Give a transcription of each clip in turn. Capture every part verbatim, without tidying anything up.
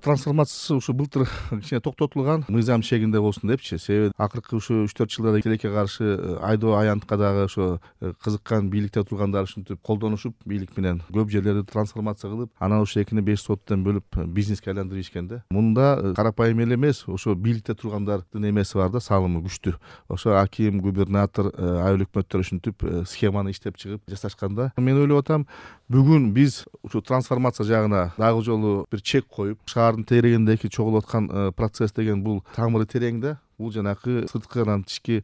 трансформациясы ушу былтыр кичине токтотулган, мыйзам чегинде болсун депчи. Себеби акыркы ушу үч төрт жылда тилекке каршы айдоо аянтка дагы ошо кызыккан бийликте тургандар ушинтип колдонушуп, бийлик менен көп жерлерди трансформация кылып, анан ошо экини беш соттон бөлүп бизнеске айландырып ийишкен да. Мунда карапайым эле эмес, ошо бийликте тургандардын эмеси бар да, салымы күчтүү. Ошо аким, губернатор, айыл өкмөттөр ушинтип схеманы иштеп чыгып жасашканда, мен ойлоп атам, бүгүн биз ушу трансформация жагына дагы жолу бир чек коюп, шаардын терегиндеги чогулуп аткан процесс деген бул тамыры терең да. Бул жанакы сырткынан тички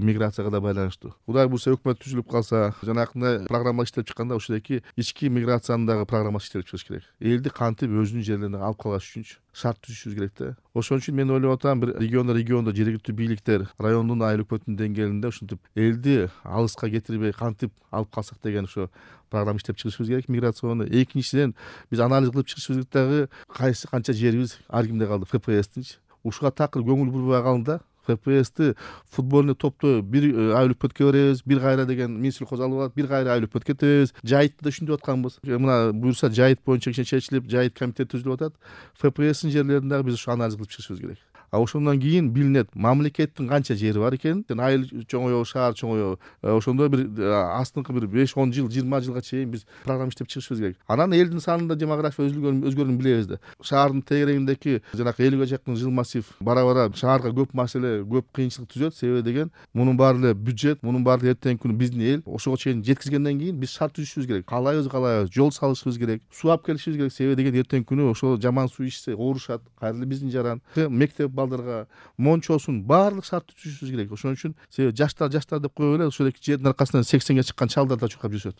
миграцияга да байланыштуу. Кудай буюрса өкмөт түзүлүп калса, жанакындай программа иштеп чыкканда ушундагы ички миграциянын дагы программасы иштелип чыгыш керек. Элди кантип өзүнүн жерлерине алып калыш үчүнчү шарт түзүшүбүз керек да. Ошон үчүн мен ойлоп атам, бир региондо региондо жергиликтүү бийликтер райондун айыл өкмөтүнүн деңгээлинде ушинтип элди алыска кетирбей кантип алып калсак деген ошо программа иштеп чыгышыбыз керек миграционный. Экинчиден, биз анализ кылып чыгышыбыз керек дагы, кайсы канча жерибиз ар кимде калды, эф пэ эстинчи. Ушуга такыр көңүл бурбай калды да. эф пэ эсти футбольный топто бир айыл өкмөткө беребиз, бир кайра деген Минсельхоз алып алат, бир кайра айыл өкмөткө кетебиз. Жайытты да ушинтип атканбыз. Мына буюрса жайыт боюнча кичине чечилип, жайыт комитет түзүлүп атат. эф пэ эстин жерлерин дагы биз ушу анализ кылып чыгышыбыз керек. А ошондон кийин билинет мамлекеттин канча жери бар экенин. Айыл чоңоюбу, шаар чоңоюбу. Ошондо бир астыңкы бир беш он жыл, жыйырма жылга чейин биз программа иштеп чыгышыбыз керек. Анан элдин санында демография өзгөргөнүн өзгөргөнүн билебиз да. Шаардын тегерегиндеги жанакы элүүгө жакын жыл массив бара-бара шаарга көп маселе, көп кыйынчылык түзөт. Себеби деген, мунун баары эле бюджет, мунун баары эртеңки күнү биздин эл ошого чейин жеткизгенден кийин биз шарт түзүшүбүз керек. Каалайбыз, каалайбыз, жол салышыбыз керек, суу алып келишибиз керек. Себеби деген эртеңки күнү ошол жаман суу ичсе оорушат, кайра эле биздин жаран, мектеп балдарга мончосун баардык шарт түзүшүбүз керек. Ошон үчүн себеби жаштар жаштар деп коюп эле ошол эки жердин аркасынан сексенге чыккан чалдар да чуркап жүрүшөт.